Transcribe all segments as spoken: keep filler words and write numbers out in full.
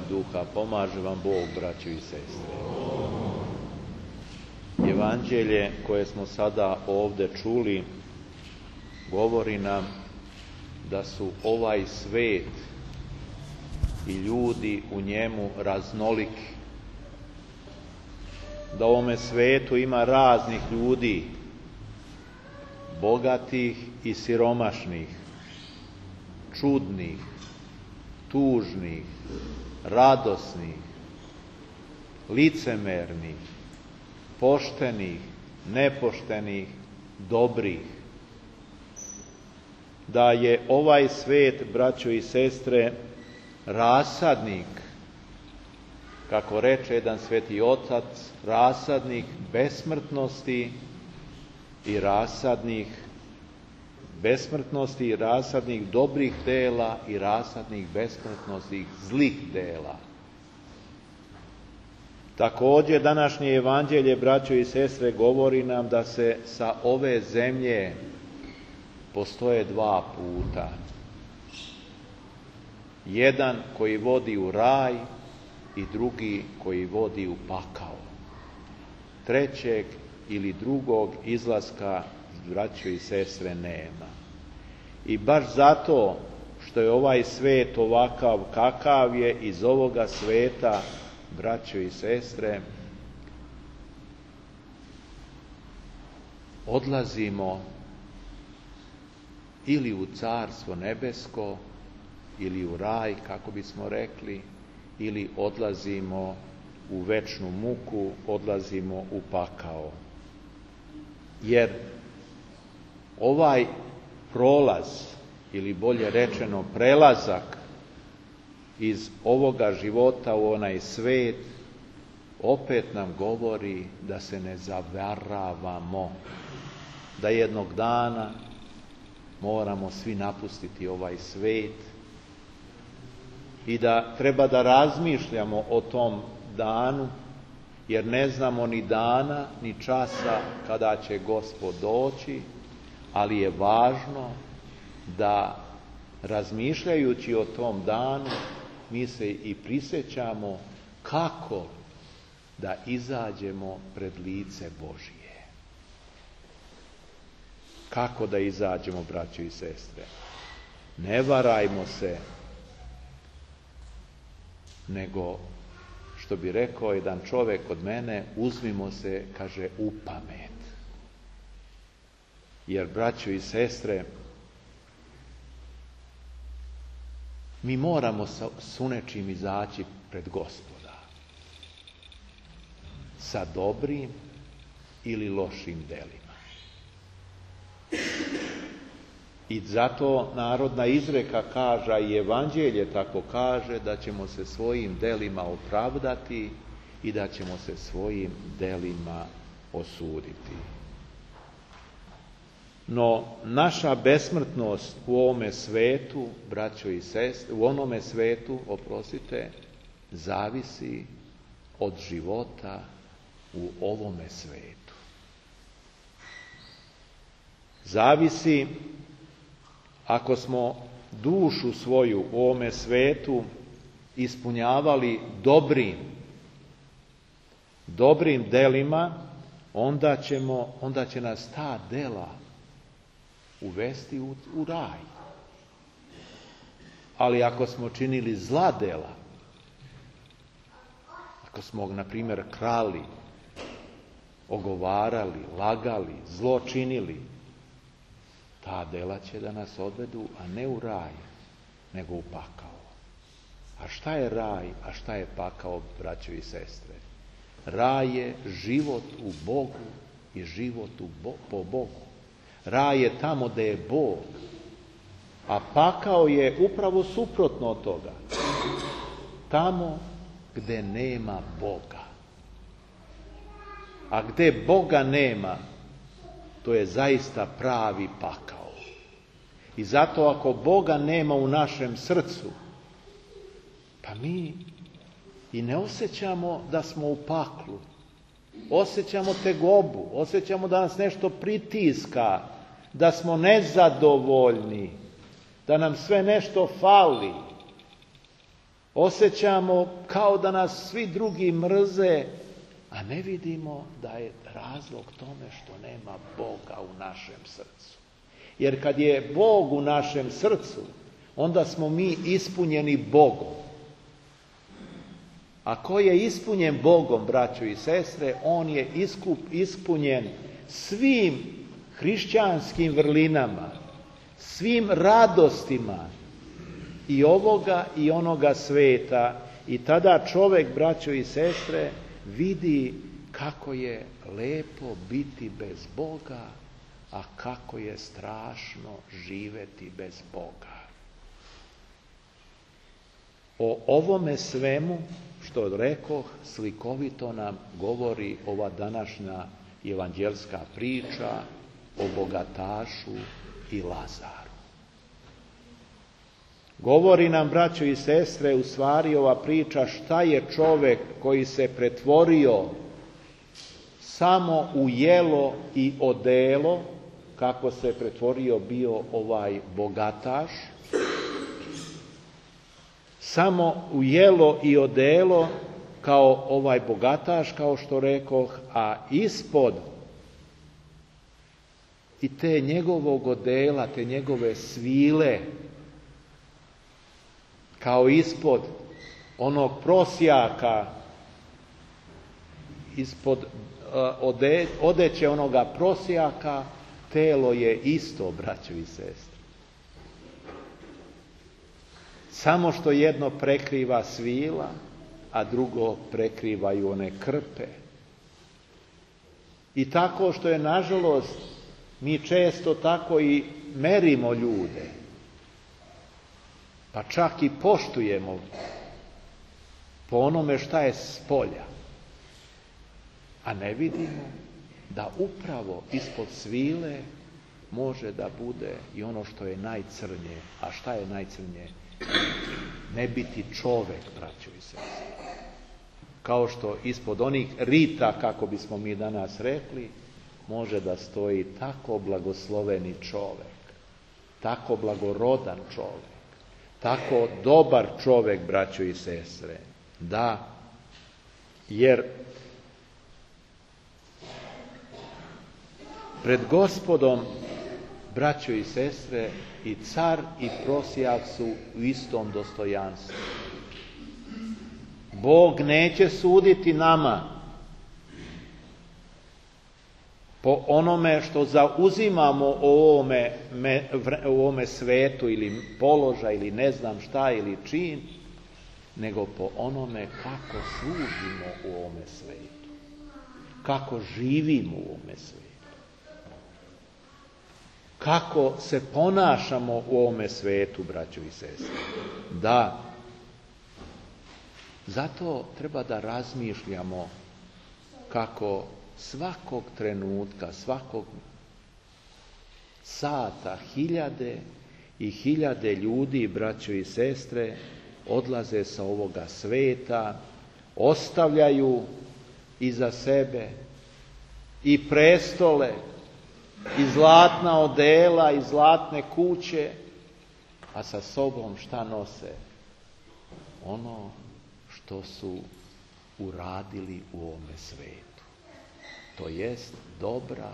duha. Pomaže vam Bog, braćo i sestre. Evanđelje koje smo sada ovdje čuli govori nam da su ovaj svet i ljudi u njemu raznoliki. Da u ovome svetu ima raznih ljudi, bogatih i siromašnih, čudnih, tužnih, radosnih, licemernih, poštenih, nepoštenih, dobrih. Da je ovaj svet, braćo i sestre, rasadnik, kako reče jedan sveti otac, rasadnik besmrtnosti i rasadnik besmrtnosti i rasadnik dobrih dela i rasadnik besmrtnosti zlih dela. Također današnje evanđelje, braćo i sestre, govori nam da se sa ove zemlje postoje dva puta. Jedan koji vodi u raj i drugi koji vodi u pakao. Trećeg ili drugog izlaska, braćo i sestre, nema. I baš zato što je ovaj svet ovakav kakav je, iz ovoga sveta, braćo i sestre, odlazimo ili u Carstvo nebesko, ili u raj, kako bismo rekli, ili odlazimo u večnu muku, odlazimo u pakao. Jer ovaj prolaz, ili bolje rečeno prelazak iz ovoga života u onaj svet, opet nam govori da se ne zavaravamo, da jednog dana moramo svi napustiti ovaj svet i da treba da razmišljamo o tom danu, jer ne znamo ni dana, ni časa kada će Gospod doći, ali je važno da razmišljajući o tom danu mi se i prisjećamo kako da izađemo pred lice Božije. Kako da izađemo, braćo i sestre? Ne varajmo se, nego, što bi rekao jedan čovjek od mene, uzmimo se, kaže, u pamet. Jer, braćo i sestre, mi moramo s nečim izaći pred Gospoda. Sa dobrim ili lošim delima. I zato narodna izreka kaže, i evanđelje tako kaže, da ćemo se svojim delima opravdati i da ćemo se svojim delima osuditi. No, naša besmrtnost u ovome svetu, braćo i sestre, u onome svetu, oprostite, zavisi od života u ovome svetu. Zavisi ako smo dušu svoju u ovome svetu ispunjavali dobrim, dobrim delima, onda ćemo, onda će nas ta dela uvesti u, u raj. Ali ako smo činili zla dela, ako smo, na primjer, krali, ogovarali, lagali, zlo činili, ta dela će da nas odvedu, a ne u raj, nego u pakao. A šta je raj, a šta je pakao, braćo i sestre? Raj je život u Bogu i život u Bo, po Bogu. Raj je tamo gdje je Bog, a pakao je upravo suprotno od toga. Tamo gdje nema Boga. A gdje Boga nema, to je zaista pravi pakao. I zato ako Boga nema u našem srcu, pa mi i ne osjećamo da smo u paklu. Osjećamo tegobu, osjećamo da nas nešto pritiska, da smo nezadovoljni, da nam sve nešto fali. Osjećamo kao da nas svi drugi mrze, a ne vidimo da je razlog tome što nema Boga u našem srcu. Jer kad je Bog u našem srcu, onda smo mi ispunjeni Bogom. A ko je ispunjen Bogom, braćo i sestre, on je iskup, ispunjen svim hrišćanskim vrlinama, svim radostima i ovoga i onoga sveta. I tada čovjek, braćo i sestre, vidi kako je lepo biti bez Boga, a kako je strašno živjeti bez Boga. O ovome svemu, što rekoh, slikovito nam govori ova današnja evanđelska priča o bogatašu i Lazaru. Govori nam, braćo i sestre, u stvari ova priča šta je čovjek koji se pretvorio samo u jelo i odelo, kako se pretvorio bio ovaj bogataš, samo u jelo i odelo kao ovaj bogataš, kao što rekoh, a ispod i te njegovog odela, te njegove svile, kao ispod onog prosjaka, ispod ode, odeće onoga prosjaka, telo je isto, braćo i sestre. Samo što jedno prekriva svila, a drugo prekrivaju one krpe. I tako što je, nažalost, mi često tako i merimo ljude, pa čak i poštujemo po onome šta je spolja, a ne vidimo da upravo ispod svile može da bude i ono što je najcrnje. A šta je najcrnje? Ne biti čovek, braćo i sestre. Kao što ispod onih rita, kako bismo mi danas rekli, može da stoji tako blagosloveni čovek, tako blagorodan čovek, tako dobar čovek, braćo i sestre. Da, jer pred Gospodom, braćo i sestre, i car i prosjak su u istom dostojanstvu. Bog neće suditi nama po onome što zauzimamo u ovome, u ovome svetu, ili položaj, ili ne znam šta, ili čin, nego po onome kako služimo u ovome svetu, kako živimo u ovome svetu, kako se ponašamo u ovome svetu, braćo i sestre. Da, zato treba da razmišljamo kako svakog trenutka, svakog sata hiljade i hiljade ljudi, braćo i sestre, odlaze sa ovoga sveta, ostavljaju iza sebe i prestole, i zlatna odela, i zlatne kuće, a sa sobom šta nose? Ono što su uradili u ovome svetu. To jest dobra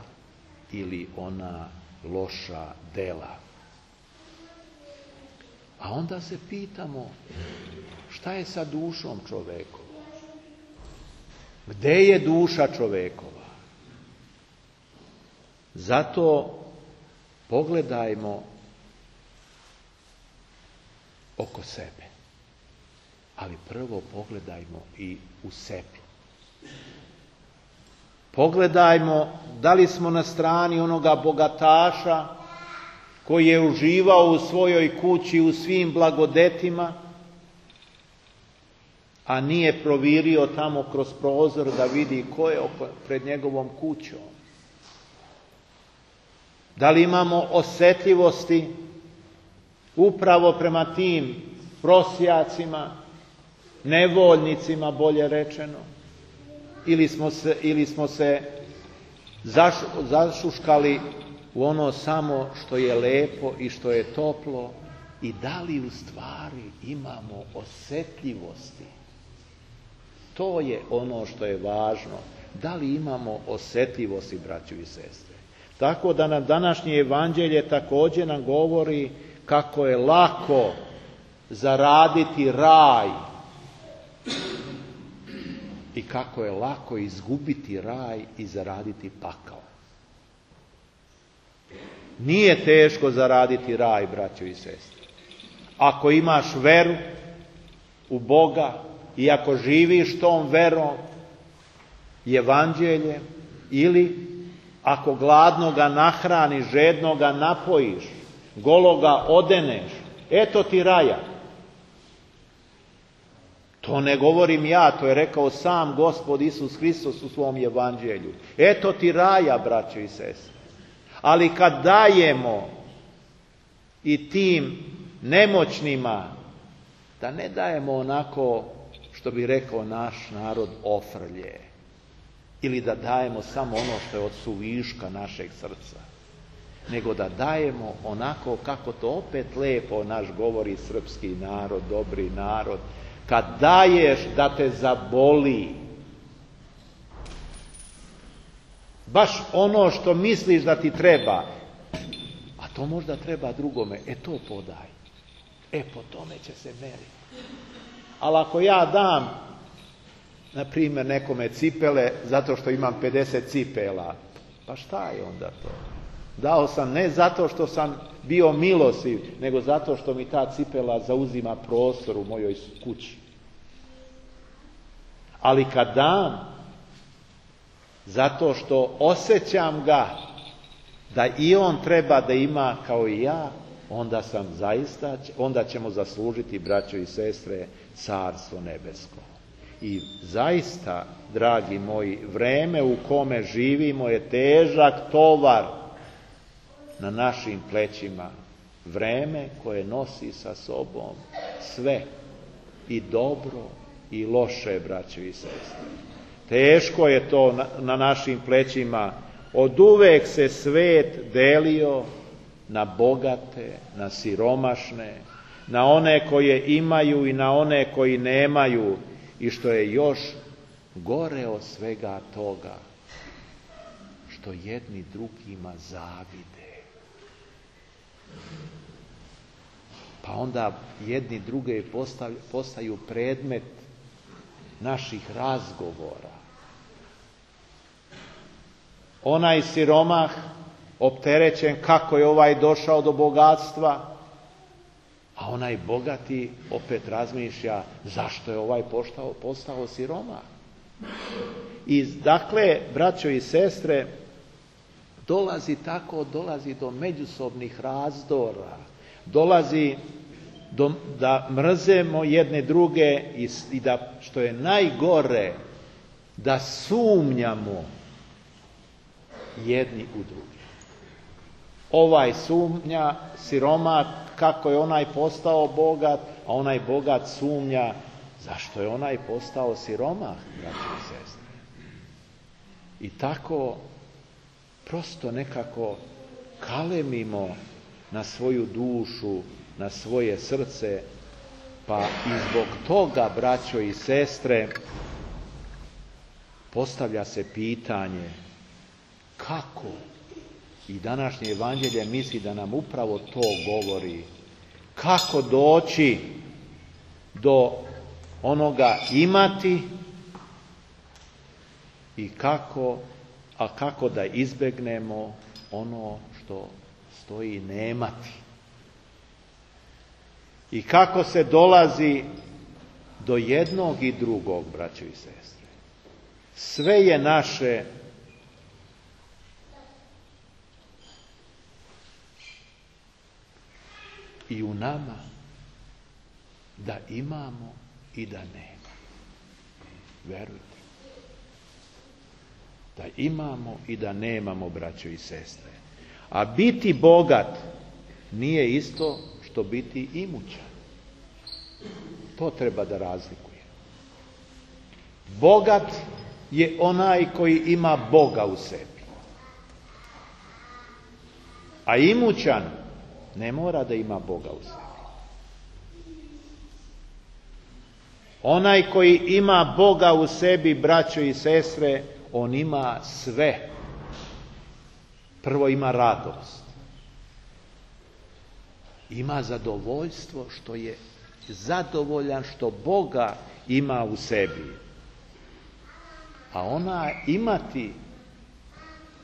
ili ona loša dela. A onda se pitamo, šta je sa dušom čovekovom? Gde je duša čovekova? Zato pogledajmo oko sebe. Ali prvo pogledajmo i u sebi. Pogledajmo da li smo na strani onoga bogataša koji je uživao u svojoj kući u svim blagodetima, a nije provirio tamo kroz prozor da vidi ko je pred njegovom kućom. Da li imamo osjetljivosti upravo prema tim prosjacima, nevoljnicima, bolje rečeno, ili smo se, ili smo se zašuškali u ono samo što je lepo i što je toplo, i da li u stvari imamo osjetljivosti. To je ono što je važno. Da li imamo osjetljivosti, braćo i sestre. Tako da nam današnje evanđelje također nam govori kako je lako zaraditi raj i kako je lako izgubiti raj i zaraditi pakao. Nije teško zaraditi raj, braćo i sestre. Ako imaš veru u Boga i ako živiš tom verom i evanđeljem, ili ako gladnoga nahraniš, žednoga napojiš, gologa odeneš, eto ti raja. To ne govorim ja, to je rekao sam Gospod Isus Hristos u svom evanđelju. Eto ti raja, braćo i sestre. Ali kad dajemo i tim nemoćnima, da ne dajemo onako, što bi rekao naš narod, ofrlje. Ili da dajemo samo ono što je od suviška našeg srca. Nego da dajemo onako kako to opet lepo naš govori srpski narod, dobri narod. Kad daješ da te zaboli. Baš ono što misliš da ti treba. A to možda treba drugome. E to podaj. E po tome će se meriti. Ali ako ja dam, na primjer, nekome cipele zato što imam pedeset cipela, pa šta je onda to? Dao sam ne zato što sam bio milostiv, nego zato što mi ta cipela zauzima prostor u mojoj kući. Ali kad dam, zato što osjećam ga da i on treba da ima kao i ja, onda sam zaista, onda ćemo zaslužiti, braćo i sestre, carstvo nebesko. I zaista, dragi moji, vreme u kome živimo je težak tovar na našim plećima. Vreme koje nosi sa sobom sve, i dobro i loše, braćo i sestre. Teško je to na, na našim plećima. Od uvek se svet delio na bogate, na siromašne, na one koje imaju i na one koji nemaju. I što je još gore od svega toga, što jedni drugima zavide. Pa onda jedni druge postaju predmet naših razgovora. Onaj siromah opterećen kako je ovaj došao do bogatstva, a onaj bogati opet razmišlja zašto je ovaj postao, postao siromah. I dakle, braćo i sestre, dolazi tako, dolazi do međusobnih razdora, dolazi do, da mrzemo jedne druge i, i da, što je najgore, da sumnjamo jedni u druge. Ovaj sumnja, siromah, kako je onaj postao bogat, a onaj bogat sumnja zašto je onaj postao siromah, braći i sestre. I tako prosto nekako kalemimo na svoju dušu, na svoje srce, pa i zbog toga, braćo i sestre, postavlja se pitanje kako. I današnje evanđelje misli da nam upravo to govori. Kako doći do onoga imati i kako, a kako da izbegnemo ono što stoji nemati. I kako se dolazi do jednog i drugog, braćo i sestre. Sve je naše i u nama da imamo i da nemamo. Verujte. Da imamo i da nemamo, braćo i sestre. A biti bogat nije isto što biti imućan. To treba da razlikuje. Bogat je onaj koji ima Boga u sebi. A imućan ne mora da ima Boga u sebi. Onaj koji ima Boga u sebi, braćo i sestre, on ima sve. Prvo ima radost. Ima zadovoljstvo što je zadovoljan što Boga ima u sebi. A ona imati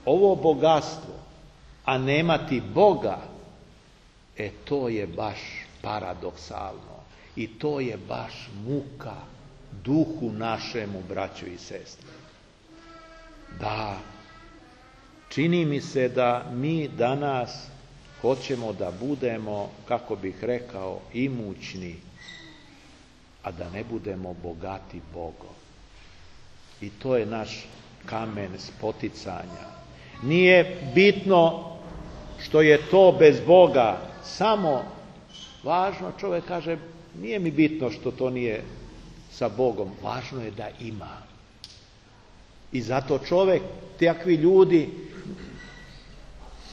ovo bogatstvo, a nemati Boga, e to je baš paradoksalno. I to je baš muka duhu našemu, braćo i sestre. Da, čini mi se da mi danas hoćemo da budemo, kako bih rekao, imućni, a da ne budemo bogati Bogom. I to je naš kamen spoticanja. Nije bitno što je to bez Boga, samo važno, čovjek kaže, nije mi bitno što to nije sa Bogom, važno je da ima. I zato čovjek, takvi ljudi,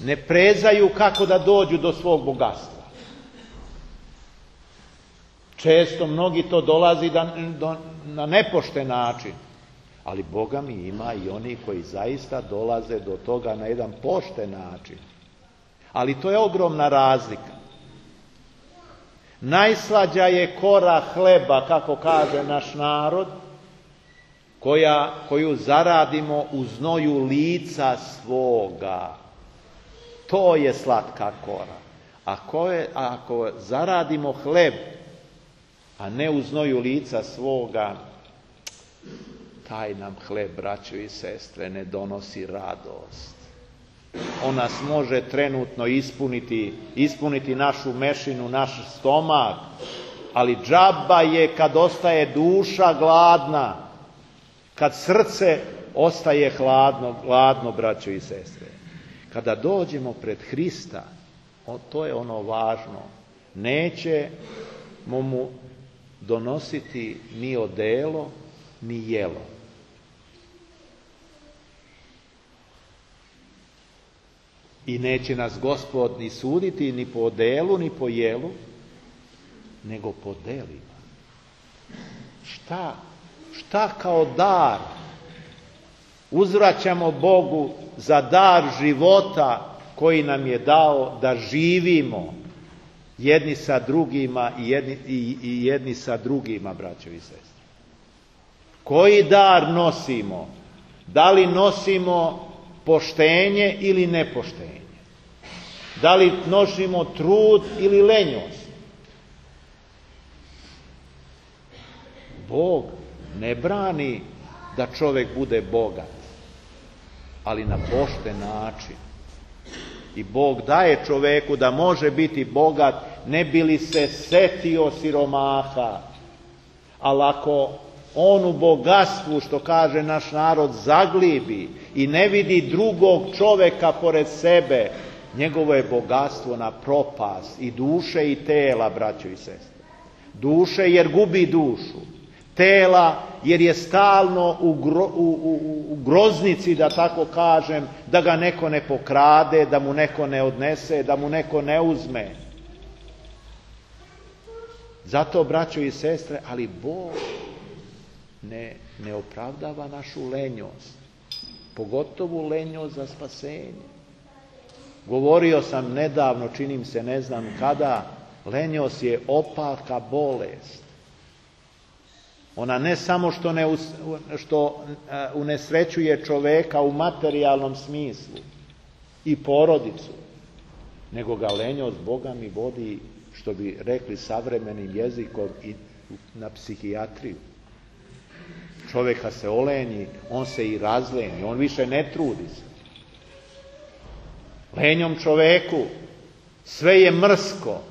ne prezaju kako da dođu do svog bogatstva. Često mnogi to dolazi da, do, na nepošten način, ali Boga mi ima i oni koji zaista dolaze do toga na jedan pošten način. Ali to je ogromna razlika. Najslađa je kora hleba, kako kaže naš narod, koja, koju zaradimo u znoju lica svoga. To je slatka kora. Ako, je, ako zaradimo hleb, a ne u znoju lica svoga, taj nam hleb, braćo i sestre, ne donosi radost. On nas može trenutno ispuniti, ispuniti našu mešinu, naš stomak, ali džaba je kad ostaje duša gladna, kad srce ostaje hladno, gladno, braćo i sestre. Kada dođemo pred Hrista, to je ono važno, nećemo mu donositi ni odelo, ni jelo. I neće nas Gospod ni suditi ni po odelu, ni po jelu, nego po delima. Šta? Šta kao dar uzvraćamo Bogu za dar života koji nam je dao da živimo jedni sa drugima i jedni, i, i jedni sa drugima, braćo i sestre? Koji dar nosimo? Da li nosimo poštenje ili nepoštenje? Da li nosimo trud ili lenjost? Bog ne brani da čovjek bude bogat, ali na pošten način. I Bog daje čovjeku da može biti bogat, ne bi li se setio siromaha. Ali ako on u bogatstvu, što kaže naš narod, zaglibi i ne vidi drugog čovjeka pored sebe, njegovo je bogatstvo na propast i duše i tela, braćo i sestre. Duše jer gubi dušu. Tela jer je stalno u, gro, u, u, u groznici, da tako kažem, da ga neko ne pokrade, da mu neko ne odnese, da mu neko ne uzme. Zato, braćo i sestre, ali Bog ne, ne opravdava našu lenjost, pogotovo lenjost za spasenje. Govorio sam nedavno, činim se ne znam kada, lenjost je opaka bolest. Ona ne samo što, ne, što unesrećuje čoveka u materijalnom smislu i porodicu, nego ga lenjost Boga mi vodi, što bi rekli savremenim jezikom, i na psihijatriju. Čovjeka se olenji, on se i razleni, on više ne trudi se. Lenjom čoveku sve je mrsko.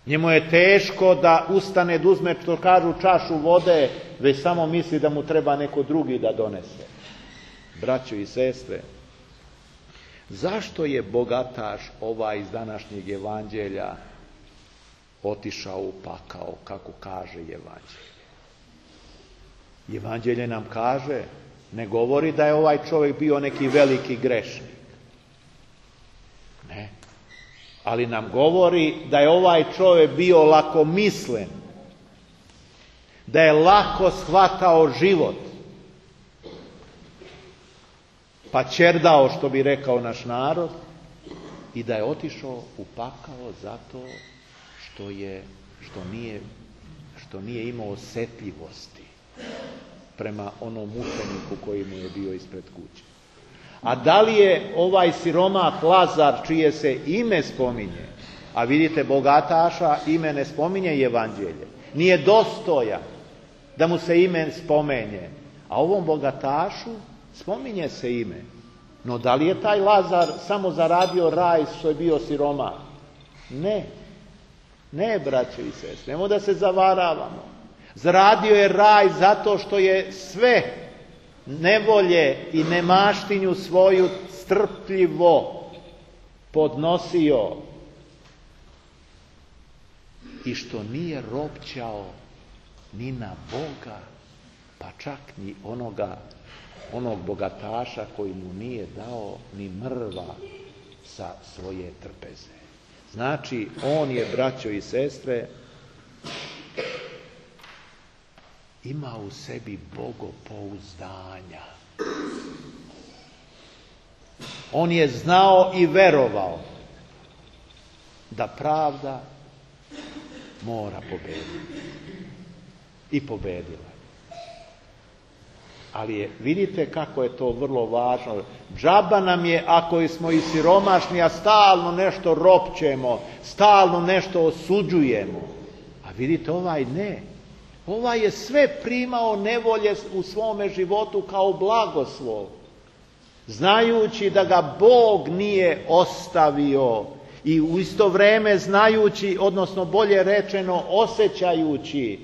Njemu je teško da ustane, da uzme, što kažu, čašu vode, već samo misli da mu treba neko drugi da donese. Braćo i sestre, zašto je bogataš ovaj iz današnjeg evanđelja otišao u pakao, kako kaže evanđelje? Evanđelje nam kaže, ne govori da je ovaj čovjek bio neki veliki grešnik. Ne. Ali nam govori da je ovaj čovjek bio lakomislen da je lako shvatao život, pa ćerdao, što bi rekao naš narod, i da je otišao u pakao zato što je, što nije, što nije imao osjetljivosti prema onom mučeniku koji mu je bio ispred kuće. A da li je ovaj siromah Lazar, čije se ime spominje, a vidite bogataša ime ne spominje i evanđelje, nije dostojan da mu se ime spomenje, a ovom bogatašu spominje se ime. No da li je taj Lazar samo zaradio raj što je bio siromah? Ne. Ne, braćo i sestre, nemoj da se zavaravamo. Zaradio je raj zato što je sve nevolje i nemaštinju svoju strpljivo podnosio i što nije ropćao ni na Boga, pa čak ni onoga, onog bogataša koji mu nije dao ni mrva sa svoje trpeze. Znači, on je, braćo i sestre, ima u sebi bogopouzdanja. On je znao i verovao da pravda mora pobediti. I pobedila. Ali je, vidite kako je to vrlo važno. Džaba nam je ako smo i siromašni, a stalno nešto ropćemo, stalno nešto osuđujemo. A vidite, ovaj ne. Ovaj je sve primao nevolje u svome životu kao blagoslov, znajući da ga Bog nije ostavio i u isto vrijeme znajući, odnosno bolje rečeno osjećajući,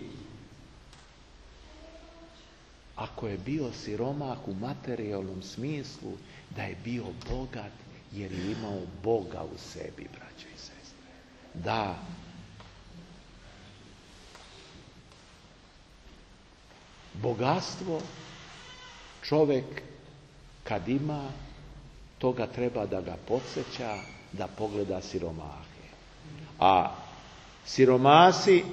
ako je bio siromah u materijalnom smislu, da je bio bogat jer je imao Boga u sebi, braćo i sestre. Da, bogatstvo čovjek kad ima, toga treba da ga podsjeća da pogleda siromahe. A siromasi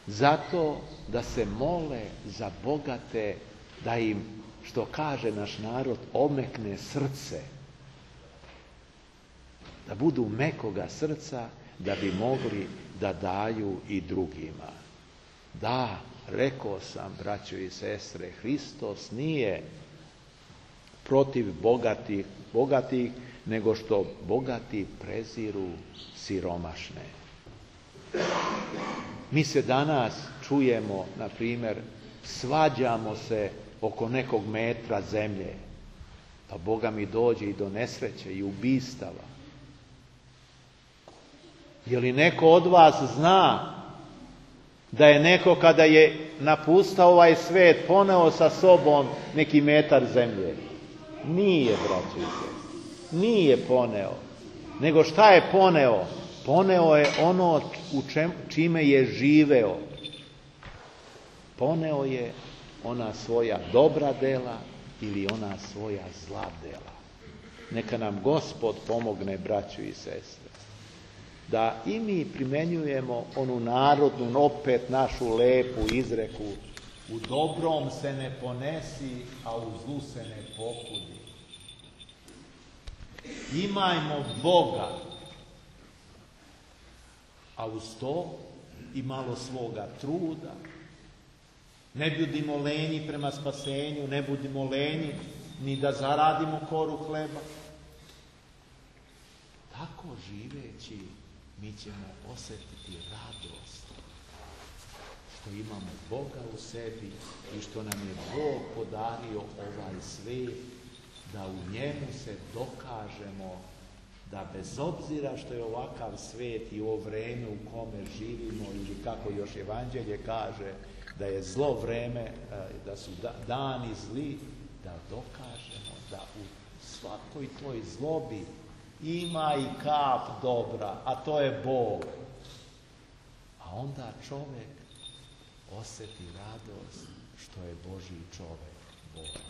zato da se mole za bogate, da im, što kaže naš narod, omekne srce. Da budu mekoga srca, da bi mogli da daju i drugima. Da, rekao sam, braćo i sestre, Hristos nije protiv bogatih, bogatih, nego što bogati preziru siromašne. Mi se danas čujemo, na primjer, svađamo se oko nekog metra zemlje, pa Boga mi dođe i do nesreće i ubistava. Je li neko od vas zna da je neko kada je napustao ovaj svijet poneo sa sobom neki metar zemlje? Nije, braćo i sestre, nije poneo. Nego šta je poneo? Poneo je ono u čem, čime je živeo. Poneo je ona svoja dobra dela ili ona svoja zla dela. Neka nam Gospod pomogne, braćo i sestre, da i mi primenjujemo onu narodnu, opet našu lepu izreku: u dobrom se ne ponesi, a u zlu se ne pokudi. Imajmo Boga, a uz to i malo svoga truda. Ne budimo lenji prema spasenju, ne budimo lenji ni da zaradimo koru hleba. Tako živeći mi ćemo osjetiti radost što imamo Boga u sebi i što nam je Bog podario ovaj svijet, da u njemu se dokažemo da bez obzira što je ovakav svijet i ovo vrijeme u kome živimo, ili kako još evanđelje kaže, da je zlo vrijeme, da su dani zli, da dokažemo da u svakoj toj zlobi ima i kap dobra, a to je Bog. A onda čovjek osjeti radost što je Božji čovjek, Bog.